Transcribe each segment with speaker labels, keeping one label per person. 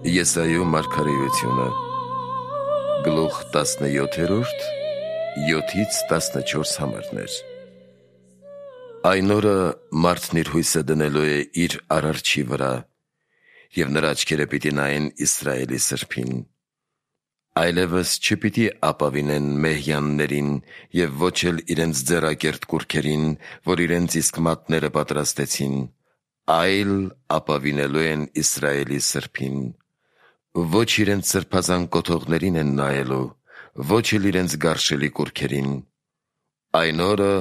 Speaker 1: Եսայու մարգարեությունը գլուխ 17-րդ 7-14 համարներ։ Այն օրը մարդն իր հույսը դնելու է իր արարչի վրա, և նրա աչքերը պիտի նայեն Իսրայելի սրբին։ Այլևս չպիտի ապավինեն մեհյաններին և ոչ էլ իրենց ձեռակերտ կուռքերին, որ իրենց իսկ մատները պատրաստեցին, այլ ապավինելու են Իսրայելի սրբին։ Ոչ իրենց սրբազան կոթողներին են նայելու, ոչ էլ իրենց գարշելի կուռքերին։ Այն օրը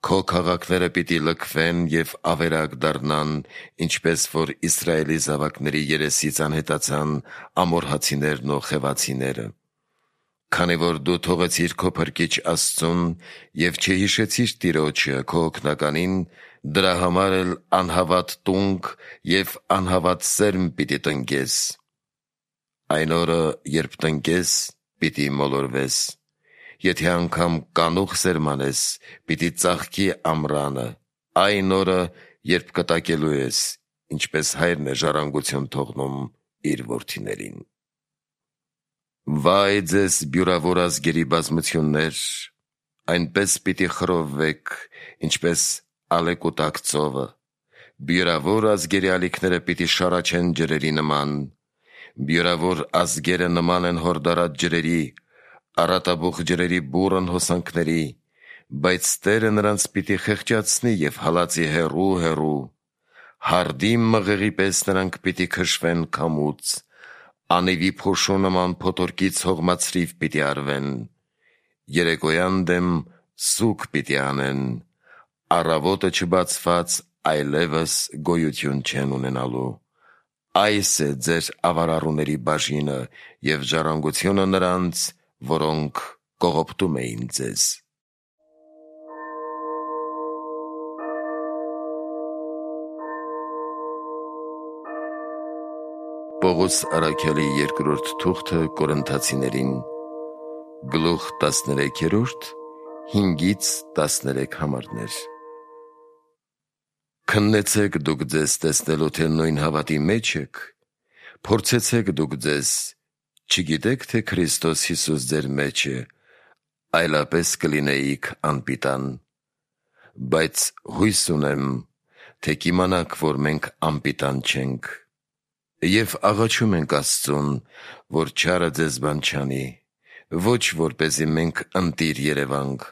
Speaker 1: քո քաղաքները պիտի լքվեն և ավերակ դառնան, ինչպես որ Իսրայելի զավակների երեսից անհետացան ամորհացիներն ու խևացիները։ Քանի որ դու թողեցիր քո փրկիչ Աստծուն և չհիշեցիր Տիրոջը քո օգնականին, դրա համար էլ անհավատ տունկ և անհավատ սերմ պիտի տնկես։ Այն օրը, երբ տնկես, պիտի մոլորվես, եթե անգամ կանուխ սերմանես, պիտի ծաղկի ամռանը, այն օրը, երբ կտակելու ես, ինչպես հայրն է ժառանգություն թողնում իր որդիներին։ Վայ ձեզ բյուրավոր ազգերի բազմություններ, այնպես պիտի խռովվեք, ինչպես ալեկուտակ ծովը, բյուրավոր ազգերի ալիքները պիտի շառաչեն ջրերի նման, բյուրավոր ազգերը նման են հորդարած ջրերի, առատաբուխ ջրերի բուռն հոսանքների, բայց Տերը նրանց պիտի խեղճացնի և հալածի հեռու, հարդի մղեղի պես նրանք պիտի քշվեն քամուց, անիվի փոշու նման փոթորկից հողմացրիվ պիտի արվեն, երեկոյան դեմ սուգ պիտի անեն, առավոտը չբացված այլևս գոյություն չեն ունենալու։ Այս է ձեր ավարառուների բաժինը և ժառանգությունը նրանց, որոնք կողոպտում էին ձեզ։ Պողոս առաքյալի երկրորդ թուղթը Կորինթացիներին գլուխ 13-րդ 5-13 համարներ։ Քննեցեք դուք ձեզ տեսնելու, թե նույն հավատի մեջ եք, փորձեցեք դուք ձեզ, չգիտեք, թե Քրիստոս Հիսուս ձեր մեջ է, այլապես կլինեիք անպիտան։ Բայց հույս ունեմ, թե կիմանաք, որ մենք անպիտան չենք, և աղաչում ենք Աստծուն, որ չարը ձեզ բան չանի, ոչ որպեսզի մենք ընտիր երևանք,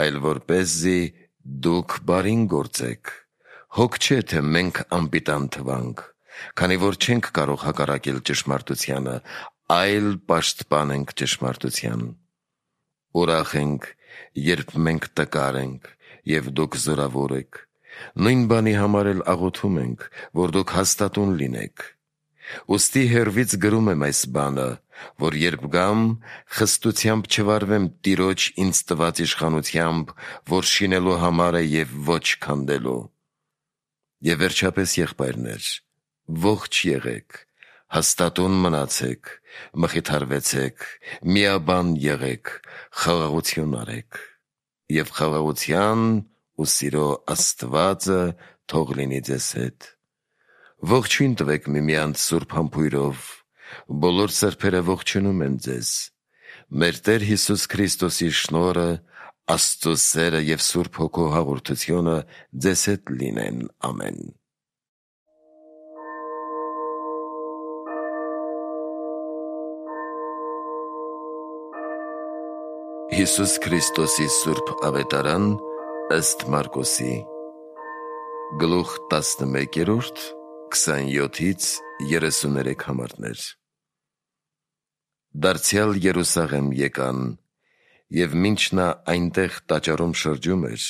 Speaker 1: այլ որպեսզի դուք բարին գործեք։ Հոգ չէ, թե մենք անպիտան թվանք, քանի որ չենք կարող հակառակել ճշմարտությանը, այլ պաշտպանենք ճշմարտության։ Ուրախ ենք, երբ մենք տկար ենք, և դուք զորավոր եք, նույն բանի համար էլ աղոթում ենք, որ դուք հաստատուն լինեք։ Ուստի հեռվից գրում եմ այս բանը, որ երբ գամ, խստությամբ չվարվեմ Տիրոջ ինձ տված իշխանությամբ, որ շինելու համար է և ոչ քանդելու։ Եվ վերջապես, եղբայրներ, ողջ եղեք, հաստատուն մնացեք, մխիթարվեցեք, միաբան եղեք, խաղաղություն արեք, և խաղաղության ու սիրո Աստվածը թող լինի ձեզ հետ։ Ողջույն տվեք միմյանց սուրբ համբույրով, բոլոր սրբերը ողջունում են ձեզ։ Մեր Տեր Հիսուս Քրիստոսի շնորհը, Աստծո սերը և Սուրբ Հոգու հաղորդությունը ձեզ հետ լինեն։ Ամեն։ Հիսուս Քրիստոսի Սուրբ Ավետարան ըստ Մարկոսի գլուխ 11-րդ 27-33 համարներ։ Դարձյալ Երուսաղեմ եկան, և մինչ նա այնտեղ տաճարում շրջում էր,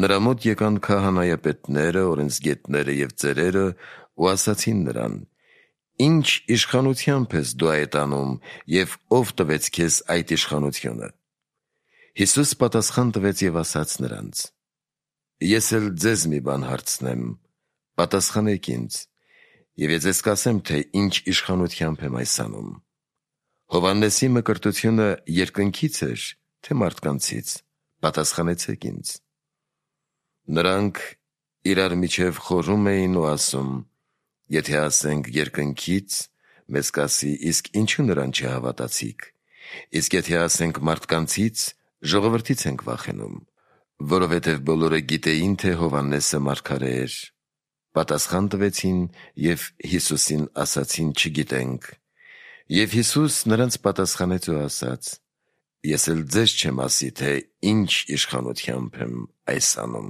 Speaker 1: նրա մոտ եկան քահանայապետները, օրենսգետները և ծերերը ու ասացին նրան. «Ինչ իշխանությամբ ես դու այդ անում, և ով տվեց քեզ այդ իշխանությունը»։ Հիսուս պատասխան տվեց և ասաց նրանց. «Ես էլ ձեզ մի բան հարցնեմ, պատասխանեք ինձ, և ես ձեզ կասեմ, թե ինչ իշխանությամբ եմ այս անում։ Հովհաննեսի մկրտությունը երկնքից էր, թե մարդկանցից, պատասխանեցեք ինձ»։ Նրանք իրար միջև խորհում էին ու ասում. «Եթե ասենք երկնքից, մեզ կասի, իսկ ինչու նրան չհավատացիք։ Իսկ եթե ասենք մարդկանցից, ժողովրդից ենք վախենում, որովհետև բոլորը գիտեին, թե Հովհաննեսը մարգարե էր։ Պատասխան տվեցին և Հիսուսին ասացին. «Չգիտենք»։ Եվ Հիսուս նրանց պատասխանեց ու ասաց. «Ես էլ ձեզ չեմ ասի, թե ինչ իշխանությամբ եմ այս անում»։